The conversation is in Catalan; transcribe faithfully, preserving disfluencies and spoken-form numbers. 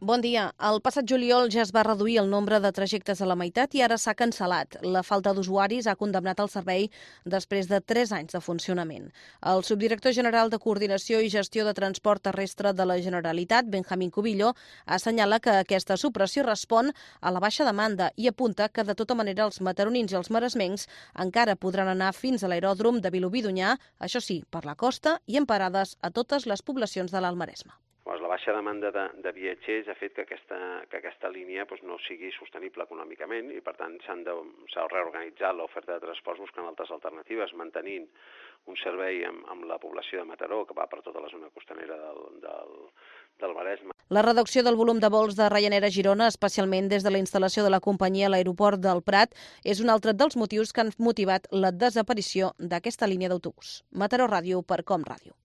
Bon dia. El passat juliol ja es va reduir el nombre de trajectes a la meitat i ara s'ha cancel·lat. La falta d'usuaris ha condemnat el servei després de tres anys de funcionament. El subdirector general de Coordinació i Gestió de Transport Terrestre de la Generalitat, Benjamín Cubillo, assenyala que aquesta supressió respon a la baixa demanda i apunta que de tota manera els mataronins i els maresmencs encara podran anar fins a l'aeròdrom de Vilobí d'Onyar, això sí, per la costa i en parades a totes les poblacions de l'Alt Maresme. Pues la baixa demanda de, de viatgers ha fet que aquesta, que aquesta línia pues, no sigui sostenible econòmicament i, per tant, s'han de, s'ha reorganitzat l'oferta de transports buscant altres alternatives, mantenint un servei amb, amb la població de Mataró, que va per tota la zona costanera del, del, del Maresme. La reducció del volum de vols de Ryanair a Girona, especialment des de la instal·lació de la companyia a l'aeroport del Prat, és un altre dels motius que han motivat la desaparició d'aquesta línia d'autobús. Mataró Ràdio per Com Ràdio.